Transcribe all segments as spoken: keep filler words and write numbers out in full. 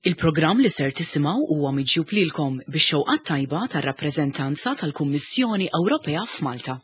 Il-programm li ser tisimgħu huwa miġjub lilkom bix-xewqa tajba tar-rappreżentanza tal-Kummissjoni Ewropea f'Malta.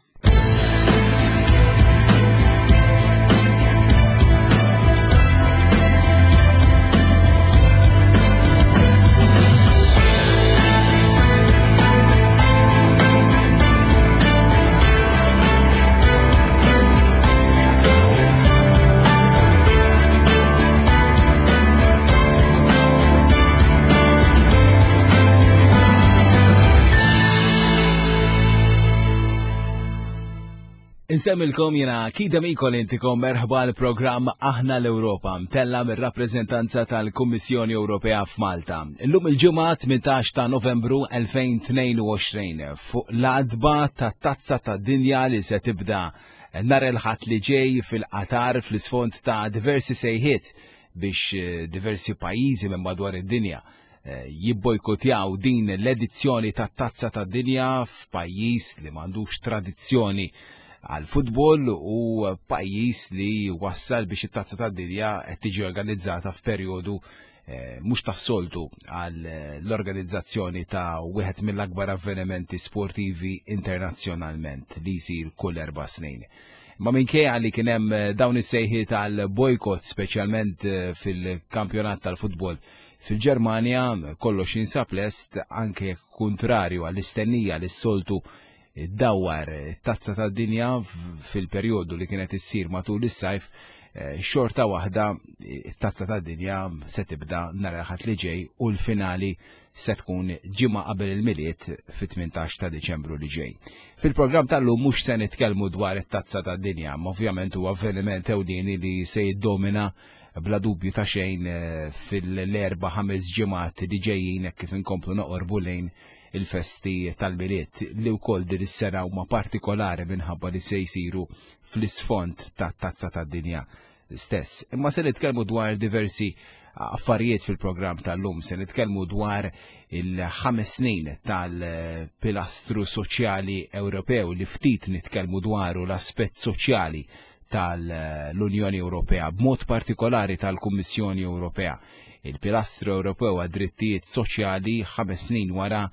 Insemmilkom jena Kida Mikol intikom merħba l-programm Aħna l-Ewropa mtella mir-rappreżentanza tal-Kummissjoni Ewropea f'Malta. Illum il-ġimgħa tmintax ta' Novembru elfejn tnejn u għoxrin fuq l-adba ta' Tazza tad-Dinja li se tibda nhar il-Ħadd li ġej fil-Qatar fl-isfond ta' diversi sejħiet biex diversi pajjiżi minn madwar id-dinja jibbojkotjaw din l-edizzjoni ta' Tazza tad-Dinja f'pajjiż li m'għandux tradizzjoni għal futbol u pajjiż li wassal biex it-Tazza tad-Dinja qed tiġi organizzata f'perjodu, eh, mhux tas-soltu għal l-organizzazzjoni ta' wieħed mill-akbar avvenimenti sportivi internazzjonalment li jsir kull erba' snin. Ma minkejja li kien hemm dawn is-sejħiet għal bojkott speċjalment, eh, fil-kampjonat tal-futbol fil-Ġermanja, kollox jinsab lest anke kontrarju għall-istennija li s-soltu dawar tazza tad-dinja fil-perjodu li kienet issir matul is-sajf, eh, xorta waħda tazza tad-dinja se tibda nhar il-Ħadd li ġej u l-finali se tkun ġimgħa qabel il-Milied fit-tmintax ta' Diċembru li ġej. Fil-programm tal-lum mhux se nitkellmu dwar it-tazza tad-dinja, ma ovvjament huwa avveniment ewlieni li se jiddomina bla dubju ta' xejn, eh, fil-erba' ħames ġimgħat li ġejjin hekk kif inkomplu noqorbu lejn il-festi tal-Milied li wkoll din is-sena huma partikolari minħabba li se jsiru fl-isfond tat-Tazza tad-Dinja stess. Imma se nitkellmu dwar diversi affarijiet fil-programm tal-lum, se nitkellmu dwar il-ħames snin tal-pilastru soċjali Ewropew li ftit nitkellmu dwaru l-aspett soċjali tal-Unjoni Ewropea, b'mod partikolari tal-Kummissjoni Ewropea. Il-pilastru Ewropew għad-drittijiet soċjali ħames snin wara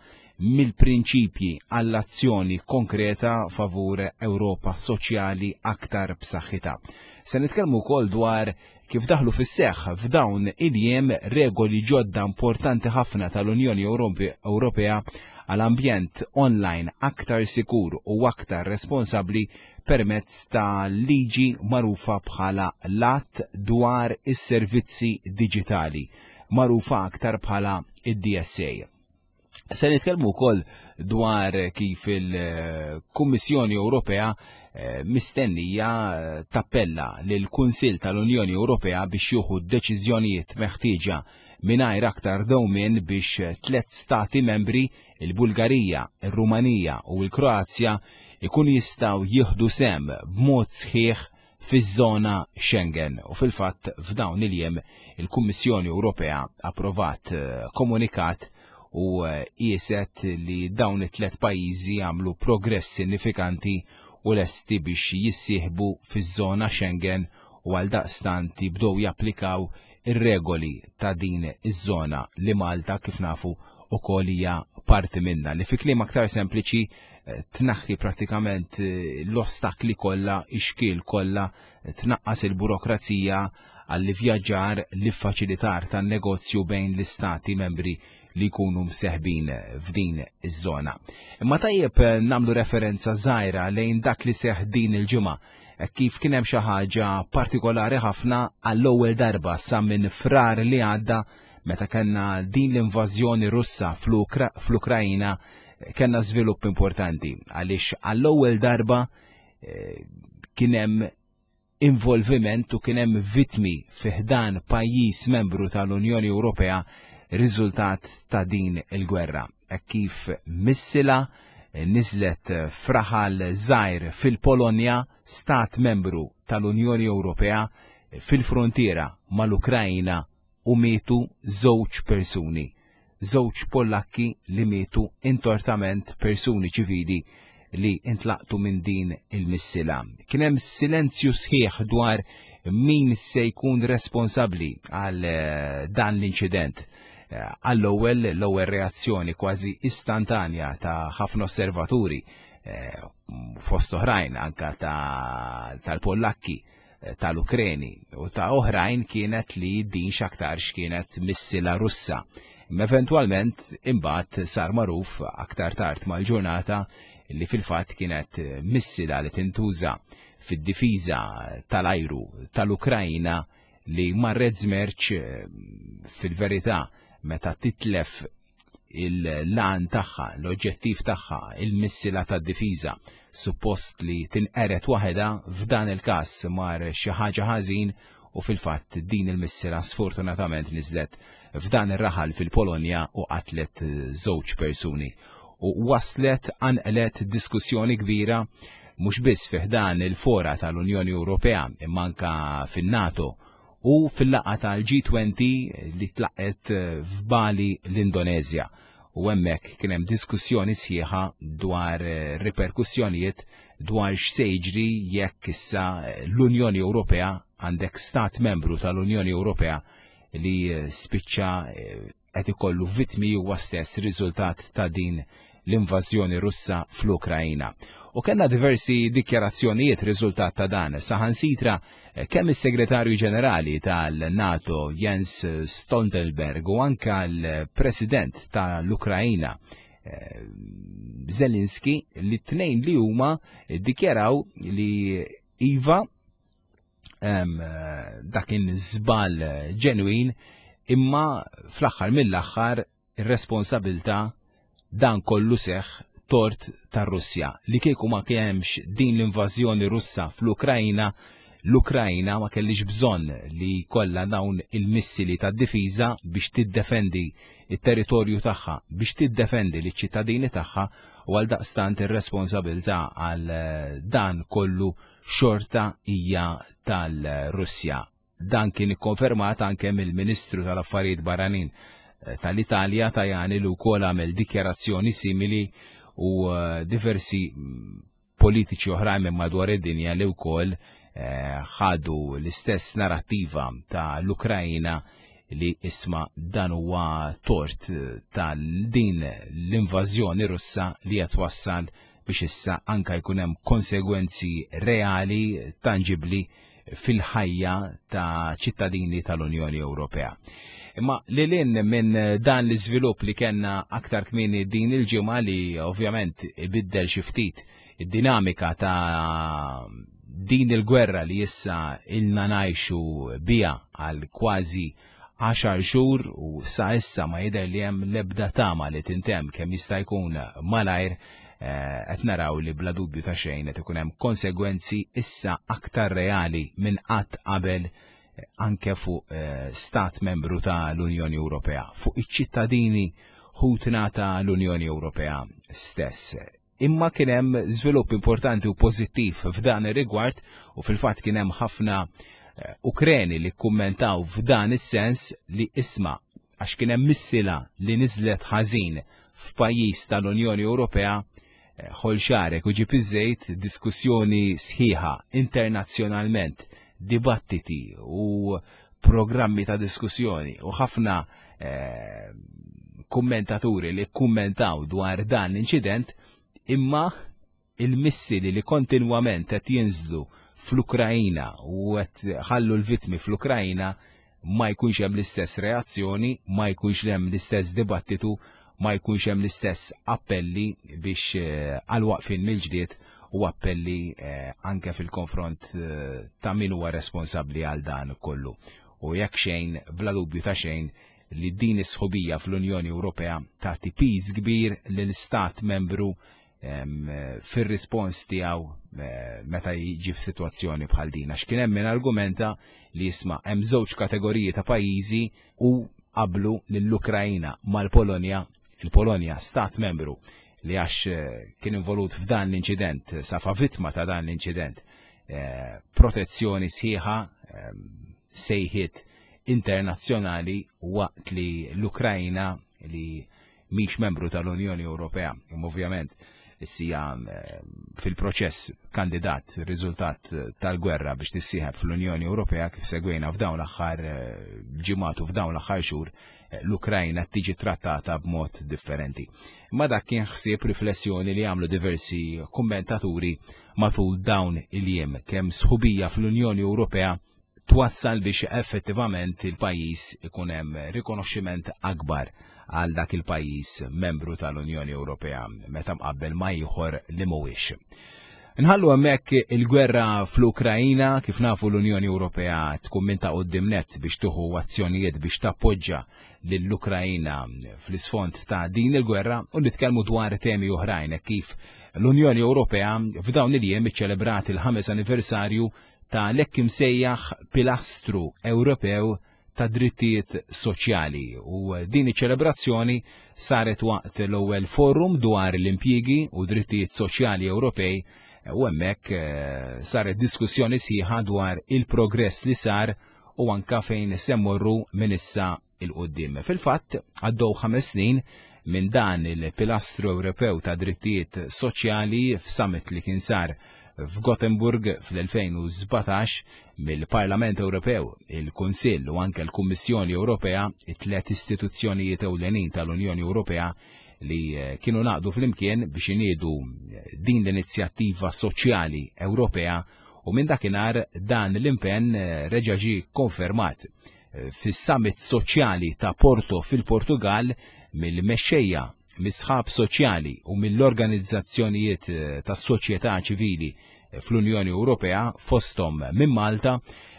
mill-prinċipji għall-azzjoni konkreta favur Ewropa soċjali aktar b'saħħitha. Se nitkellmu wkoll dwar kif daħlu fis-seħħ f'dawn il-jiem regoli ġodda importanti ħafna tal-Unjoni Ewrope-, Ewropea għal ambjent online aktar sikur u aktar responsabbli permezz ta' liġi magħrufa bħala l-Att dwar is-Servizzi Diġitali, magħrufa aktar bħala id-D S A. Se nitkellmu wkoll dwar kif il-Kummissjoni Ewropea, eh, mistennija, eh, tappella lill-Kunsill tal-Unjoni Ewropea biex jieħu deċiżjonijiet meħtieġa mingħajr aktar dewmien biex tliet stati membri, il-Bulgarija, ir-Rumanija u l-Kroazja, ikunu jistgħu jieħdu sehem b'mod sħiħ fiż-żona Schengen. U fil-fatt f'dawn il-jiem il-Kummissjoni Ewropea approvat, eh, komunikat u, eh, qieset li dawn it-tliet pajjiżi għamlu progress sinifikanti u lesti biex jissieħbu fiż-żona Schengen u għaldaqstant jibdew japplikaw ir-regoli ta' din iż-żona li Malta kif nafu ukoll hija parti minnha, li fi kliem aktar sempliċi, eh, tnaħħi pratikament, eh, l-ostakli kollha, ix-xkiel kollha, eh, tnaqqas il-burokrazija għall-ivvjaġġar, l-iffaċilitar tan-negozju bejn l-istati membri li jkunu mseħbin f'din iż-żona. Imma tajjeb, eh, nagħmlu referenza żgħira lejn dak li seħħ din il-ġimgħa, eh, kif kien hemm xi ħaġa partikolari ħafna għall-ewwel darba sa minn frar li għadda meta kellna din l-invażjoni Russa fl-Ukra-, fl-Ukrajna, kellna żvilupp importanti għaliex għall-ewwel darba, eh, kien hemm involviment u kien hemm vittmi fi ħdan pajjiż membru tal-Unjoni Ewropea riżultat ta' din il-gwerra. Hekk kif missila niżlet fraħal żgħir fil-Polonja, stat membru tal-Unjoni Ewropea, fil-frontiera mal-Ukrajna u mietu żewġ persuni. Żewġ Pollakki li mietu intortament, persuni ċivili li intlaqtu minn din il-missila. Kien hemm silenzju sħiħ dwar min se jkun responsabbli għal, eh, dan l-inċident. Għall-ewwel l-ewwel reazzjoni kważi istantanja ta' ħafna osservaturi, fost oħrajn anka tal-Pollakki, tal-Ukreni u ta' oħrajn, kienet li din x'aktarx kienet missila Russa. Imma eventwalment imbagħad sar magħruf aktar tard mal-ġurnata li fil-fatt kienet missila li tintuża fid-difiża tal-ajru tal-Ukrajna li marret żmerċ. Fil-verità, meta titlef il-lan tagħha, l-oġġettiv tagħha, il-missila tad-difiża suppost li tinqeret waħedha, f'dan il-każ mar xi ħaġa ħażin u fil-fatt din il-missila sfortunatament niżlet f'dan ir-raħal fil-Polonja u qatlet żewġ persuni. U waslet qanqlet diskussjoni kbira mhux biss fi ħdan il-fora tal-Unjoni Ewropea, imma anka fin-NATO u fil-laqgħa tal-G twenty li tlaqqet f'Bali, l-Indonezja. U hemmhekk kien hemm diskussjoni sħiħa dwar riperkussjonijiet, dwar x'se jiġri jekk issa l-Unjoni Ewropea, għandek stat membru tal-Unjoni Ewropea li spiċċa qed ikollu vittmi huwa stess riżultat ta' din l-invażjoni Russa fl-Ukrajina. U kellna diversi dikjarazzjonijiet riżultat ta' dan. Saħansitra kemm is-Segretarju Ġenerali tal-NATO Jens Stoltenberg u anka l-President tal-Ukrajina eh, Zelensky, li t-tnejn li huma dikjaraw li iva, dakin żball ġenwin, imma fl-aħħar mill-aħħar ir-responsabilità, dan kollu seħ tort tar-Russja, li kieku ma kienx din l-invażjoni Russa fl-Ukrajna, l-Ukrajna ma kellix bżonn li kollha dawn il-missili tad-difiża biex tiddefendi il-territorju tagħha, biex tiddefendi l-ċittadini tagħha, u għal daqstant ir-responsabilità għal dan kollu xorta hija tal-Russja. Dan kien ikkonfermat anke mill-Ministru tal-Affarijiet Barranin eh, tal-Italja Tajani, li wkoll għamel dikjarazzjoni simili, u eh, diversi mm, politiċi oħrajn minn madwar id-dinja li wkoll eh, ħadu l-istess narrattiva ta' l-Ukrajna, li isma', dan huwa tort tal-din l-invażjoni Russa li qed wassal biex issa anka jkun hemm konsegwenzi reali, tangibli, fil-ħajja ta' ċittadini tal-Unjoni Ewropea. Imma li lin minn dan l-iżvilupp li kellna aktar kmieni din il-ġimgħa, li ovvjament ibiddel xi ftit id-dinamika ta' din il-gwerra li issa ilna ngħixu biha għal kważi għaxar xhur u sa issa ma jidher li hemm l-ebda tama li tintemm kemm jista' jkun malajr, eh, qed naraw li bla dubju ta' xejn qed ikun hemm konsegwenzi issa aktar reali minn qatt qabel eh, anke fuq eh, stat membru ta' l-Unjoni Ewropea, fuq iċ-ċittadini ħutna ta' l-Unjoni Ewropea stess. Imma kien hemm żvilupp importanti u pożittiv f'dan ir-rigward u fil-fatt kien hemm ħafna eh, Ukreni li kummentaw f'dan is-sens li isma', għax kien hemm missila li niżlet ħażin f'pajjiż tal-Unjoni Ewropea, eh, ħoll xagħrek u ġib iż-żejt, diskussjoni sħiħa internazzjonalment, dibattiti u programmi ta' diskussjoni u ħafna eh, kummentaturi li kummentaw dwar dan l-inċident, imma il-missili li kontinwament qed jinżlu fl-Ukrajina u qed ħallu l-vittmi fl-Ukrajina ma jkunx hemm l-istess reazzjoni, ma jkunx hemm l-istess dibattitu, ma jkunx hemm l-istess appelli biex eh, għal waqfin mill-ġlied u appelli eh, anke fil-konfront eh, ta' min huwa responsabbli għal dan kollu. U jekk xejn, bla dubju ta' xejn, li din is-sħubija fl-Unjoni Ewropea tagħti piż kbir lil stat membru fir-rispons tiegħu eh, meta jiġi f'sitwazzjoni bħal din. Għax kien hemm min argumenta li jisma', hemm żewġ kategoriji ta' pajjiżi u qablu lill-Ukrajina mal-Polonja, il-Polonja stat membru li għax eh, kien involut f'dan l-inċident, safa vittma ta' dan l-inċident, eh, protezzjoni sħiħa, sejħiet internazzjonali, waqt li l-Ukrajna, li mhix membru tal-Unjoni Ewropea, ovvjament issija eh, fil-proċess kandidat, riżultat tal-gwerra biex tissieħeb fl-Unjoni Ewropea, kif segwejna f'dawn l-aħħar eh, ġimgħat u f'dawn l-aħħar xhur, l-Ukrajna tiġi trattata b'mod differenti. Ma dak kien ħsieb, riflessjoni li għamlu diversi kommentaturi matul dawn il-jiem, kemm sħubija fl-Unjoni Ewropea twassal biex effettivament il-pajjiż ikun hemm rikonoxximent akbar għal dak il-pajjiż membru tal-Unjoni Ewropea meta mqabbel ma' ieħor li mhuwiex. Nħallu hemmhekk il-gwerra fl-Ukrajina. Kif nafu, l-Unjoni Ewropea tkun minn ta' quddiem nett biex tieħu azzjonijiet biex tappoġġa lill-Ukrajina fl-isfond ta' din il-gwerra, u nitkellmu dwar temi oħrajn, kif l-Unjoni Ewropea f'dawn il-jiem iċċelebrat il-ħames anniversarju ta' l-hekk imsejjaħ Pilastru Ewropew ta' Drittijiet Soċjali, u din iċ-ċelebrazzjoni saret waqt l-ewwel forum dwar l-impjiegi u drittijiet soċjali Ewropej, u hemmhekk eh, saret diskussjoni sħiħa dwar il-progress li sar u anka fejn se mmorru minn issa 'l quddiem. Fil-fatt, għaddew ħames snin minn dan il-Pilastru Ewropew ta' Drittijiet Soċjali f'summit li kien sar f'Gothenburg fl-elfejn u sbatax mill-Parlament Ewropew, il-Kunsill u anke l-Kummissjoni Ewropea, it-tlet istituzzjonijiet ewlenin tal-Unjoni Ewropea li eh, kienu ngħaqdu flimkien biex iniedu eh, din l-inizjattiva soċjali Ewropea, u minn dakinhar dan l-impenn eh, reġa' ġie konfermat fis-summit soċjali ta' Porto fil-Portugal mill-mexxejja, mis-sħab soċjali u mill-organizzazzjonijiet tas-soċjetà ċivili fl-Unjoni Ewropea, fosthom minn Malta,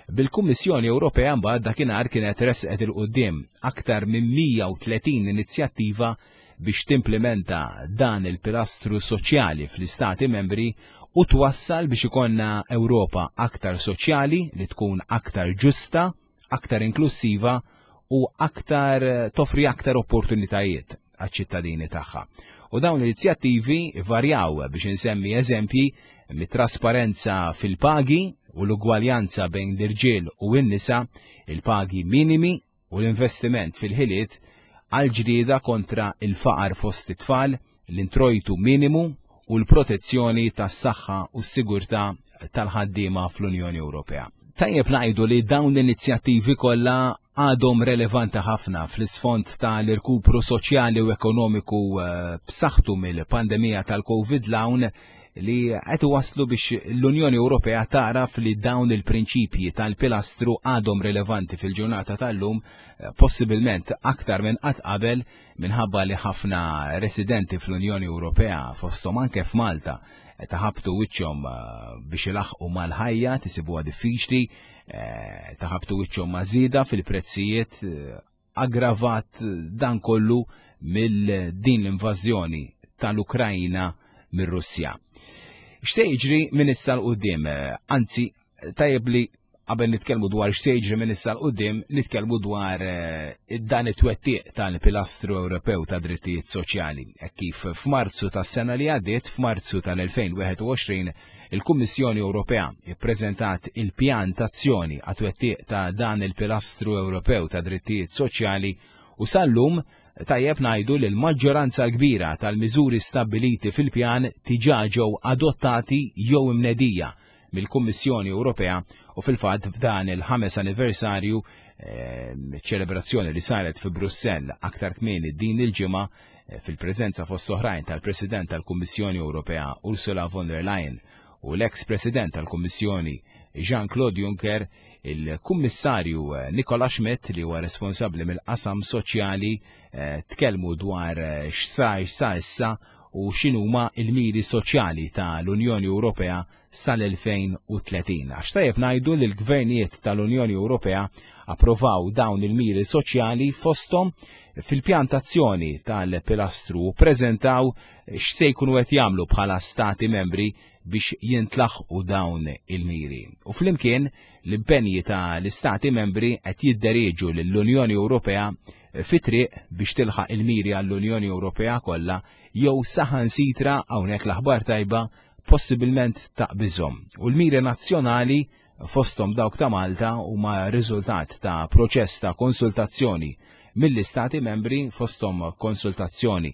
bil-Kummissjoni Ewropea mbagħad dakinhar kienet resqet 'il quddiem aktar minn mija u tletin inizjattiva biex timplementa dan il-pilastru soċjali fl-istati membri u twassal biex ikollna Ewropa aktar soċjali, li tkun aktar ġusta, aktar inklusiva u aktar toffri aktar opportunitajiet għaċ-ċittadini tagħha. U dawn l-inizjattivi varjaw, biex insemmi eżempji, mit-trasparenza fil-pagi u l-ugwaljanza bejn l-irġiel u n-nisa, il-pagi minimi u l-investiment fil-ħiliet, għal-ġlieda kontra il-faqar fost it-tfal, l-introjtu minimu u l-protezzjoni tas-saħħa u s-sigurtà tal-ħaddiema fl-Unjoni Ewropea. Tajjeb ngħidu li dawn l-inizjattivi kollha għadhom relevanti ħafna fl-isfond tal-irkupru soċjali u ekonomiku eh, b'saħħtu mill-pandemija tal-Covid l li qed waslu biex l-Unjoni Ewropea taraf li dawn il-prinċipji tal-pilastru għadhom rilevanti fil-ġurnata tal-lum, eh, possibilment aktar minn qatt qabel, minħabba li ħafna residenti fl-Unjoni Ewropea, fosthom anke f'Malta, taħabtu wiċċhom eh, biex ilaħqu mal-ħajja, isibuha diffiċli, eh, taħabtu wiċċhom ma' żieda fil-prezzijiet, aggravat dan kollu mill din l-invażjoni tal-Ukrajna mir-Russja. X'se jiġri minn issa 'l quddiem? Anzi, tajjeb li qabel nitkellmu dwar x'se jiġri minn issa 'l quddiem, nitkellmu dwar eh, dan it-twettiq tal-Pilastru Ewropew ta' Drittijiet Soċjali. Kif f'Marzu tas-sena li għaddiet, f'Marzu tal-elfejn u wieħed u għoxrin, il-Kummissjoni Ewropea ippreżentat il-pjan tazzjoni għat-twettiq ta' dan il-Pilastru Ewropew ta' Drittijiet Soċjali, u sal-lum tajjeb ngħidu li l-maġġoranza kbira tal-miżuri stabbiliti fil-pjan diġà ġew adottati jew imnedija mill-Kummissjoni Ewropea. U fil-fatt, f'dan il-ħames anniversarju, eh, ċelebrazzjoni li saret fi Brussell aktar kmieni din il-ġimgħa eh, fil-preżenza fost oħrajn tal-President tal-Kummissjoni Ewropea Ursula von der Leyen u l-ex President tal-Kummissjoni Jean-Claude Juncker, il-Kummissarju eh, Nicola Schmidt, li huwa responsabbli mill-qasam soċjali, eh, tkellmu dwar eh, x'sa x'sa issa u x'inhuma il-miri soċjali tal-Unjoni Ewropea sal-elfejn u tletin. Għax tajjeb ngħidu li l-gvernijiet tal-Unjoni Ewropea approvaw dawn il-miri soċjali, fosthom fil-pjantazzjoni tal-pilastru, u prezentaw x'se jkunu qed jagħmlu bħala stati membri biex jintlaħqu dawn il-miri. U flimkien l-impenji ta' l-istati membri qed jidderieġu lill-Unjoni Ewropea fi triq biex tilħaq il-miri għall-Unjoni Ewropea kollha, jew saħansitra, hawnhekk l-aħbar tajba, possibilment taqbiżhom. U l-miri nazzjonali, fosthom dawk ta' Malta, huma riżultat ta' proċess ta' konsultazzjoni mill-istati membri, fosthom konsultazzjoni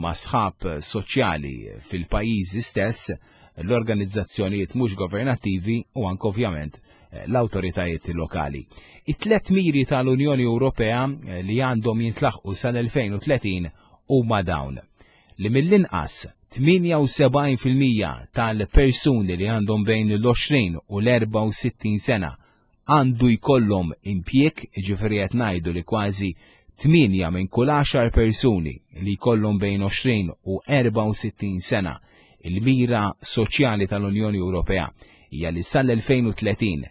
ma' sħab soċjali fil-pajjiżi stess, l-organizzazzjonijiet mhux governattivi u anke ovvjament l-awtoritajiet lokali. It-tlet miri tal-Unjoni Ewropea li għandhom jintlaħqu sal-elfejn u tletin huma dawn: li mill-inqas tmienja u sebgħin fil-mija tal-persuni li għandhom bejn l-għoxrin u l-erbgħa u sittin sena għandu jkollhom impjieg, jiġifieri qed ngħidu li kważi tmienja minn kull għaxar persuni li jkollhom bejn għoxrin u erbgħa u sittin sena. Il-mira soċjali tal-Unjoni Ewropea hija li sal-elfejn u tletin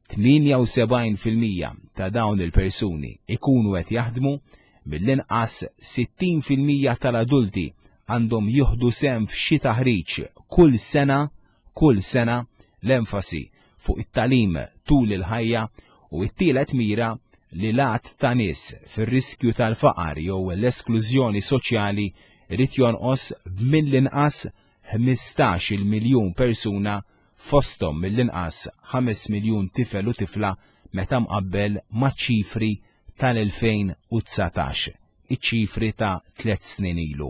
tmienja u sebgħin fil-mija ta' dawn il-persuni ikunu qed jaħdmu, mill-inqas sittin fil-mija tal-adulti għandhom jieħdu sehem f'xi taħriġ kull sena, kull sena, l-enfasi fuq it-tagħlim tul il-ħajja, u t-tielet mira li l-għadd ta' nies fir-riskju tal-faqar jew l-esklużjoni soċjali irid jonqos b'mill-inqas ħmistax-il miljun persuna, fosthom mill-inqas ħames miljun tifel u tifla meta mqabbel ma' ċifri tal-elfejn u dsatax, iċ-ċifri ta' tliet snin ilu.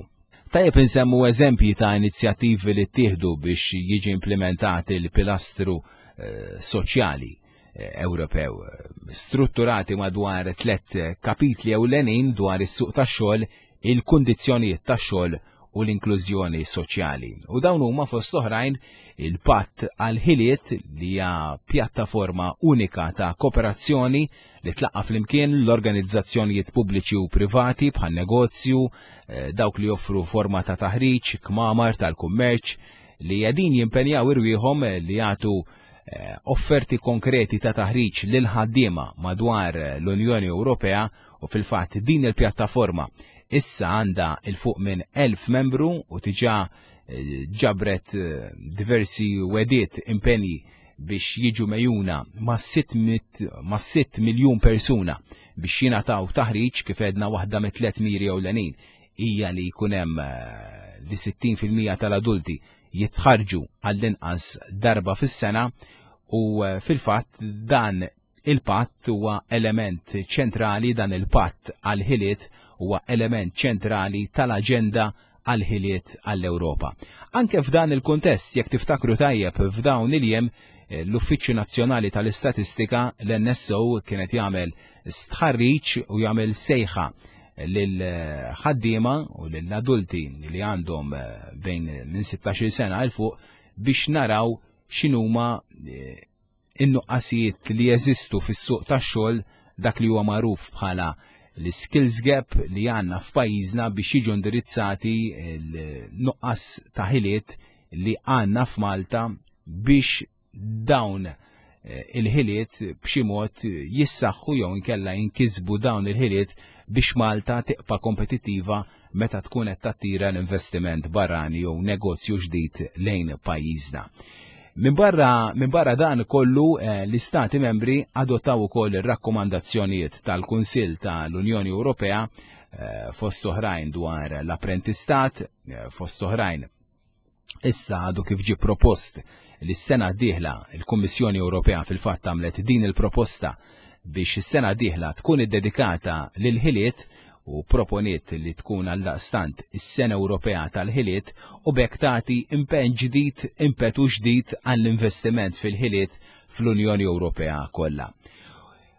Tajjeb insemmu eżempji ta' inizjattivi li ttieħdu biex jiġi implementat il-pilastru, eh, soċjali, eh, Ewropew, strutturati madwar tliet kapitli ewlenin dwar is-suq tax-xogħol, il-kundizzjonijiet tax-xogħol u l-inklużjoni soċjali. U dawn huma fost oħrajn il-Patt għal-Ħiliet, li hija pjattaforma unika ta' kooperazzjoni li tlaqqa' flimkien l-organizzazzjonijiet pubbliċi u privati bħal negozju, eh, dawk li joffru forma ta' taħriġ, kmamar tal-kummerċ, li qegħdin jimpenjaw irwieħhom li jagħtu, eh, offerti konkreti ta' taħriġ lil ħaddiema madwar l-Unjoni Ewropea, u fil-fatt din il-pjattaforma issa għandha il fuq minn elf membru u diġà, eh, ġabret, eh, diversi wediet impenji biex jiġu mejuna ma' sitt mit-, ma' sitt miljun persuna biex jingħataw taħriġ. Kif għedna, waħda mit-tliet miri ewlenin hija li jkun hemm, eh, li sittin fil-mija tal-adulti jitħarġu għall-inqas darba fis-sena, u, eh, fil-fatt dan il-patt huwa element ċentrali, dan il-patt għal-ħiliet huwa element ċentrali tal-aġenda għal-ħiliet għall-Ewropa. Anke f'dan il-kuntest, jekk tiftakru tajjeb, f'dawn il-jiem, eh, l-Uffiċċju Nazzjonali tal-Istatistika, l-N S O, kienet jagħmel stħarriġ u jagħmel sejħa lil ħaddiema u lill-adulti li għandhom, eh, bejn minn sittax-il sena għal fuq biex naraw x'inhuma, eh, in-nuqqasijiet li jeżistu fis-suq tax-xogħol, dak li huwa magħruf bħala l-skills gap li għandna f'pajjiżna, biex jiġu indirizzati l-nuqqas ta' ħiliet li għandna f'Malta, biex dawn, eh, il-ħiliet b'xi mod jissaħħu jew inkella jinkisbu dawn il-ħiliet biex Malta tibqa' kompetittiva meta tkun qed tattira l-investiment barrani jew negozju ġdid lejn pajjiżna. Min barra, min barra dan kollu, eh, l-Istati membri adottaw ukoll ir-rakkomandazzjonijiet tal-Kunsill tal-Unjoni Ewropea, eh, fost oħrajn dwar l-apprentistat, eh, fost oħrajn issa għadu kif ġie propost li s-sena d-dieħla il-Kummissjoni Ewropea fil-fatt għamlet din il-proposta biex is-sena d-dieħla tkun iddedikata lil-ħiliet, u proponiet li tkun għaldaqstant is-Sena Ewropea tal-Ħiliet, u b'hekk tagħti impenn ġdid, impetu ġdid għall-investiment fil-ħiliet fl-Unjoni Ewropea kollha.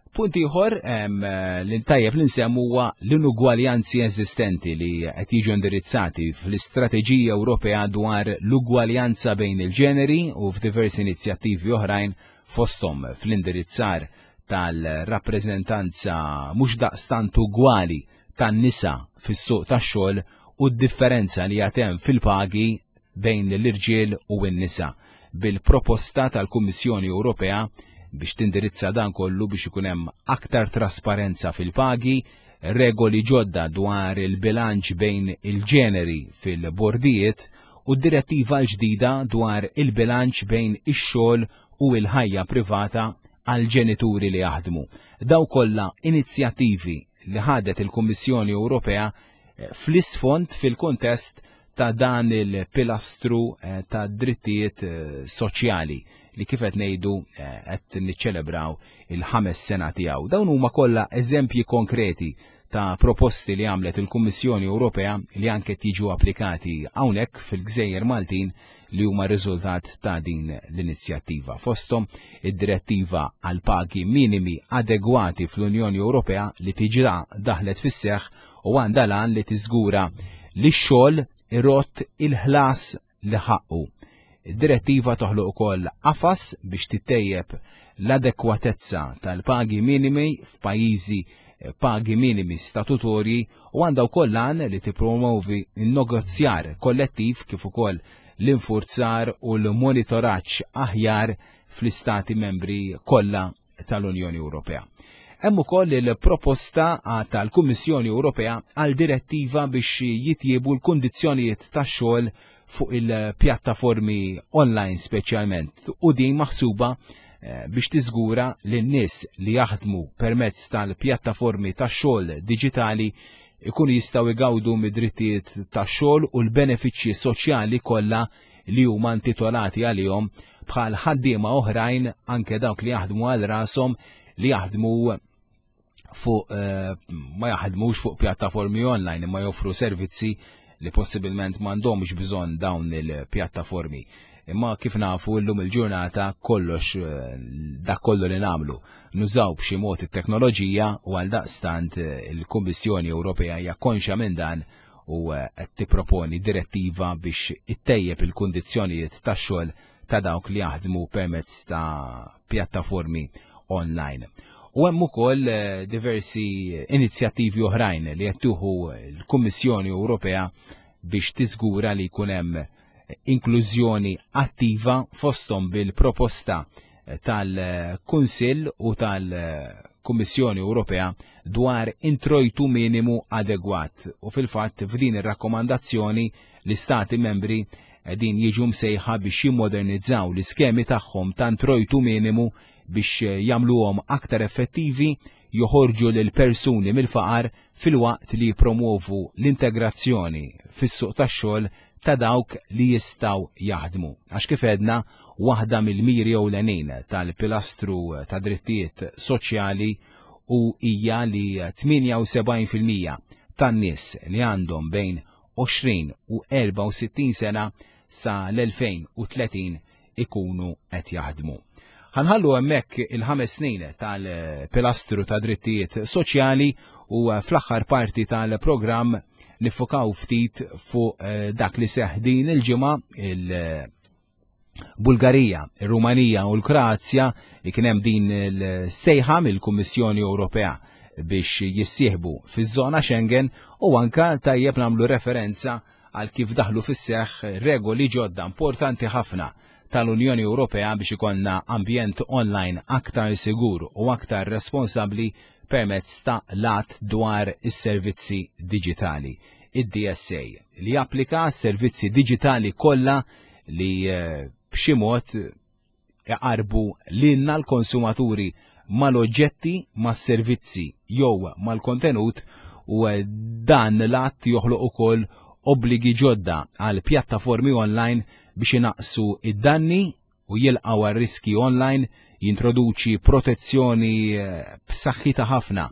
Punt ieħor, em, li tajjeb li nsemmu huwa l-inugwaljanzi eżistenti li qed jiġu indirizzati fl-Istrateġija Ewropea dwar l-ugwaljanza bejn il-ġeneri u f'diversi inizjattivi oħrajn, fosthom fl-indirizzar tal-rappreżentanza mhux daqstant ugwali tan-nisa fis-suq tax-xogħol u d-differenza li għad hemm fil-pagi bejn l-irġiel u n-nisa, bil-proposta tal-Kummissjoni Ewropea biex tindirizza dan kollu biex ikun hemm aktar trasparenza fil-pagi, regoli ġodda dwar il-bilanċ bejn il-ġeneri fil-bordijiet u d-direttiva l-ġdida dwar il-bilanċ bejn ix-xogħol u l-ħajja privata għal ġenituri li jaħdmu. Daw kollha inizjattivi li ħadet il-Kummissjoni Ewropea, eh, fl-isfond fil-kontest ta' dan il-pilastru, eh, ta' drittijiet, eh, soċjali li kif qed ngħidu, eh, qed niċċelebraw il-ħames sena tiegħu. Dawn huma kollha eżempji konkreti ta' proposti li għamlet il-Kummissjoni Ewropea li anke tiġu applikati hawnhekk fil-Gżejjer Maltin li huma riżultat ta' din l-inizjattiva. Fosthom id-direttiva għal pagi minimi adegwati fl-Unjoni Ewropea li diġà daħlet fis-seħħ u għandha l-għan li tiżgura li x-xogħol irodd il-ħlas li ħaqqu. Id-direttiva toħloq ukoll qafas biex tittejjeb l-adekwatezza tal-pagi minimi f'pajjiżi pagi minimi statutorji u għandha wkoll l-għan li tippromovi n-negozjar kollettiv kif ukoll l-infurzar u l-monitoraġġ aħjar fl-istati membri kollha tal-Unjoni Ewropea. Hemm ukoll il-proposta tal-Kummissjoni Ewropea għal direttiva biex jitjiebu l-kundizzjonijiet tax-xogħol fuq il-pjattaformi online speċjalment u din maħsuba biex tiżgura li n-nies li jaħdmu permezz tal-pjattaformi tax-xogħol diġitali ikunu jistgħu jgawdu mid-drittijiet tax-xogħol u l-benefiċċji soċjali kollha li huma intitolati għalihom bħal ħaddiema oħrajn, anke dawk li jaħdmu għal rashom, li jaħdmu fuq ma jaħdmux fuq pjattaformi online imma joffru servizzi li possibilment m'għandhomx bżonn dawn il-pjattaformi. Imma kif nafu llum il-ġurnata kollox dak kollu li nagħmlu nużaw b'xi mod it-teknoloġija u għal daqstant il-Kummissjoni Ewropea hija konxja minn dan u qed tipproponi direttiva biex ittejjeb il-kundizzjonijiet tax-xogħol ta' dawk li jaħdmu permezz ta' pjattaformi online. U hemm ukoll diversi inizjattivi oħrajn li qed tieħu l-Kummissjoni Ewropea biex tiżgura li jkun hemm inklużjoni attiva, fosthom bil-proposta tal-Kunsill u tal-Kummissjoni Ewropea dwar introjtu minimu adegwat. U fil-fatt f'din ir-rakkomandazzjoni l-Istati membri din jiġu msejħa biex jimmodernizzaw l-iskemi tagħhom ta' introjtu minimu biex jagħmluhom aktar effettivi, joħorġu lil persuni mill-faqar filwaqt li jippromovu l-integrazzjoni fis-suq tax-xogħol ta' dawk li jistgħu jaħdmu. Għax kif għedna, waħda mill-miri ewlenin tal-pilastru ta' drittijiet soċjali u hija li tmienja u sebgħin fil-mija tan-nies li għandhom bejn għoxrin u erbgħa u sittin sena sa l-elfejn u tletin ikunu qed jaħdmu. Ħa nħallu hemmhekk il-ħames snin tal-pilastru ta' drittijiet soċjali u fl-aħħar parti tal-programm nifokaw ftit fuq dak li seħ din il-ġimgħa, il-Bulgarija, il-Rumanija u l-Kroazja, li kien hemm din il-sejħa mill-Kummissjoni Ewropea biex jissieħbu fiż-żona Schengen, u anka tajjeb nagħmlu referenza għal kif daħlu fis-seħħ regoli ġodda importanti ħafna tal-Unjoni Ewropea biex ikollna ambjent online aktar sigur u aktar responsabbli permezz ta' l-Att dwar is-servizzi diġitali, id-D S A, li japplika servizzi diġitali kollha li b'xi mod iqarbu lilna l-konsumaturi mal-oġġetti, mas-servizzi jew mal-kontenut, u dan l-att joħloq ukoll obbligi ġodda għal pjattaformi online biex inaqsu id-danni u jilqgħu għar-riski online, jintroduċi protezzjoni b'saħħitha ħafna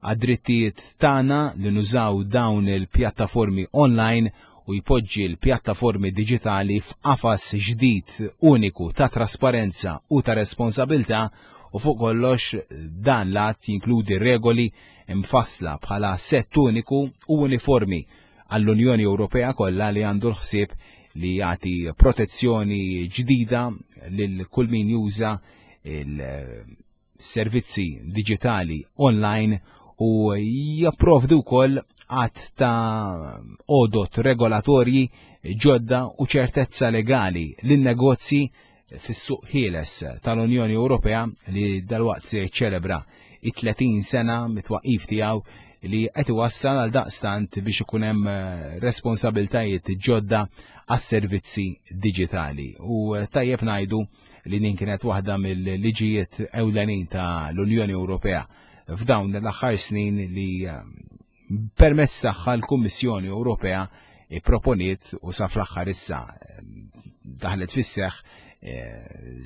għad-drittijiet tagħna li nużaw dawn il-pjattaformi online u jpoġġi l-pjattaformi diġitali f'qafas ġdid uniku ta' trasparenza u ta' responsabilità. U fuq kollox dan l-att jinkludi regoli mfassla bħala sett uniku u uniformi għall-Unjoni Ewropea kollha li għandu l-ħsieb li jagħti protezzjoni ġdida lil kull min juża il-servizzi diġitali online u japprovdu wkoll għadd ta' għodot regolatorji ġodda u ċertezza legali lin-negozji fis-suq ħieles tal-Unjoni Ewropea li dalwaqt se jiċċelebra it-tletin sena mit-twaqif tiegħu, li qed iwassal għal daqstant biex ikun hemm responsabiltajiet ġodda għas-servizzi diġitali. U tajjeb ngħidu li din kienet waħda mill-liġijiet ewlenin ta' l-Unjoni Ewropea f'dawn l-aħħar snin li permezz tagħha l-Kummissjoni Ewropea proponiet u sa fl-aħħar issa daħlet fis-seħħ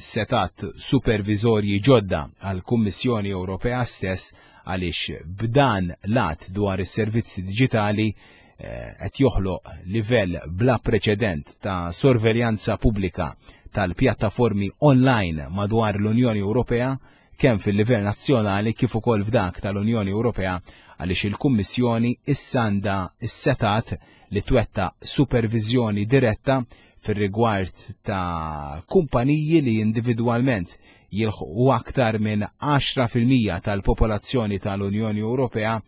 setgħat supervizorji ġodda għall-Kummissjoni Ewropea stess. għaliex b'dan l-att dwar is-servizzi diġitali eh, qed joħloq livell bla preċedent ta' sorveljanza pubblika tal-pjattaformi online madwar l-Unjoni Ewropea, kemm fil-livell nazzjonali kif ukoll f'dak tal-Unjoni Ewropea, għaliex il-Kummissjoni issa għandha s-setat li twetta supervizjoni diretta fir-rigward ta' kumpaniji li individwalment jilħqu aktar minn għaxra fil-mija tal-popolazzjoni tal-Unjoni Ewropea,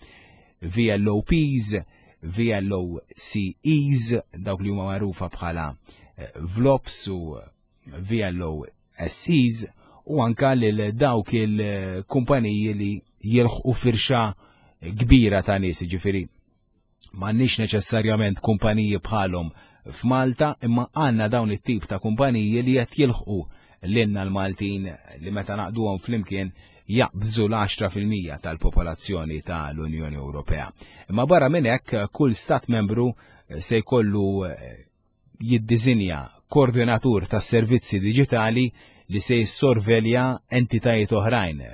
V L O Ps, V L O C Es, dawk li huma magħrufa bħala eh, V L O Ps u V L O S Es, u anka lil dawk il-kumpaniji li jilħqu firxa kbira ta' nies, ġifieri m'għandniex neċessarjament kumpaniji bħalhom f'Malta, imma għandna dawn it-tip ta' kumpaniji li qed jilħqu lilna l-Maltin li meta naqduhom flimkien jaqbżu l-għaxra fil-mija tal-popolazzjoni tal-Unjoni Ewropea. Imma barra minn hekk, kull stat membru se jkollu jiddiżinja koordinatur tas-servizzi diġitali li se jissorvelja entitajiet oħrajn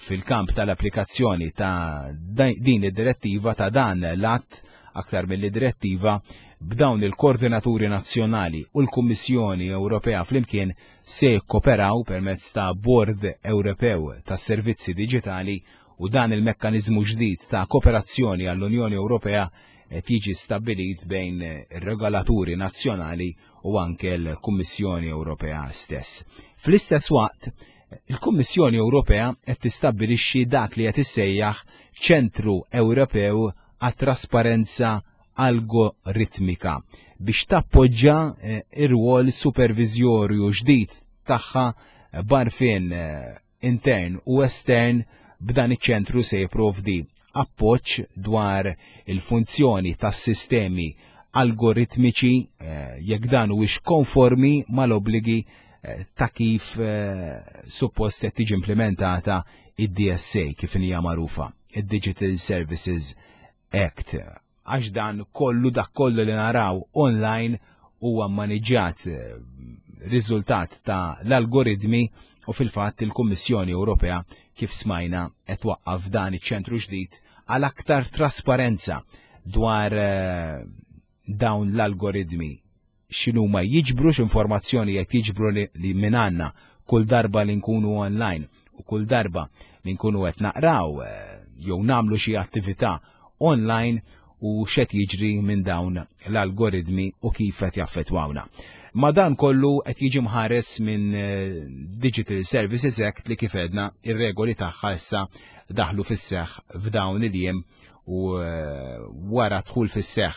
fil-kamp tal-applikazzjoni ta' din id-direttiva, ta' dan l-att aktar mill-direttiva. B'dawn il-koordinaturi nazzjonali u l-Kummissjoni Ewropea flimkien se jikkoperaw permezz ta' Bord Ewropew tas Servizzi Diġitali, u dan il-mekkaniżmu ġdid ta' kooperazzjoni għall-Unjoni Ewropea qed jiġi stabbilit bejn ir-regolaturi nazzjonali u anke l-Kummissjoni Ewropea stess. Fl-istess waqt, il-Kummissjoni Ewropea qed tistabbilixxi dak li qed issejjaħ Ċentru Ewropew għat-Trasparenza Algoritmika biex tappoġġa, eh, ir-rwol supervizjorju ġdid tagħha b'għarfien, eh, intern u estern. B'dan iċ-ċentru se jipprovdi appoġġ dwar il-funzjoni tas-sistemi algoritmiċi, eh, jekk dan huwiex konformi mal-obbligi, eh, ta' kif, eh, suppost qed tiġi implementata id-D S A kif hija magħrufa, id-Digital Services Act. Għax dan kollu, dak kollu li naraw online huwa maniġġat, eh, riżultat ta' l-algoritmi, u fil-fatt il-Kummissjoni Ewropea, kif smajna, qed twaqqaf dan iċ-ċentru ġdid għal aktar trasparenza dwar, eh, dawn l-algoritmi, x'inhuma jiġbru, x'informazzjoni qed jiġbru li, li minn għandna kull darba li nkunu online u kull darba li nkunu qed naqraw, eh, jew nagħmlu xi attività online, u x'qed jiġri minn dawn l-algoritmi u kif qed jaffettwawna. Ma dan kollu qed jiġi mħares minn, eh, Digital Services Act li, kif għedna, ir-regoli tagħha issa daħlu fis-seħħ f'dawn il-jiem, u, eh, wara dħul fis-seħħ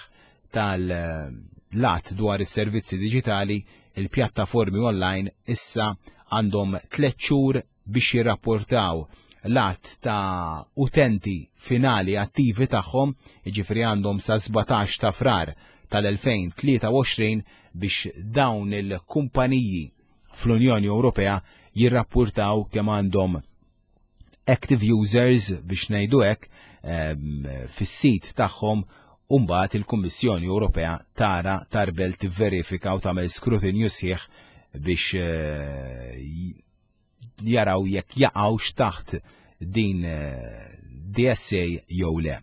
tal-att dwar is-servizzi diġitali, il-pjattaformi online issa għandhom tliet xhur biex jirrapportaw l-għadd ta' utenti finali attivi tagħhom, jiġifieri għandhom sa sbatax ta' Frar tal-elfejn tlieta u għoxrin biex dawn il-kumpaniji fl-Unjoni Ewropea jirrapportaw kemm għandhom active users, biex ngħidu hekk, ehm, fis-sit tagħhom, u mbagħad il-Kummissjoni Ewropea tara, tarbel, tivverifika u tagħmel skrutinju sħiħ biex, eh, jaraw jekk jaqgħux taħt din, eh, D S A jew le.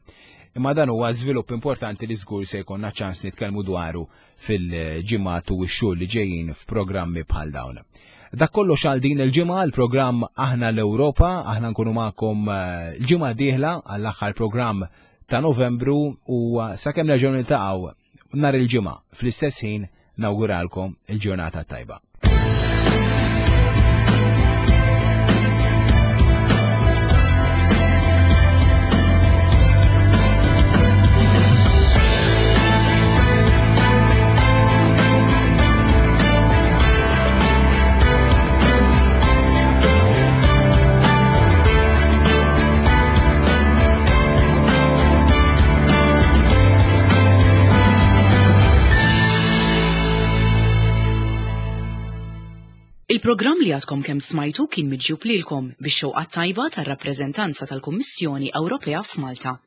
Imma dan huwa żvilupp importanti li żgur se jkollna ċans nitkellmu dwaru fil-ġimgħat u x-xhur li ġejjin f'programmi bħal dawn. Dak kollox għal din il-ġimgħa, l-programm Aħna l-Ewropa. Aħna nkunu magħkom, eh, l-ġimgħa dieħla għall-aħħar programm ta' Novembru, u sakemm nerġgħu niltaqgħu nhar il-ġimgħa fl-istess ħin, nawguralkom il-ġurnata tajba. Il-programm li għadkom kemm smajtu kien miġjub lilkom bix-xewqa tajba tar-rappreżentanza tal-Kummissjoni Ewropea f'Malta.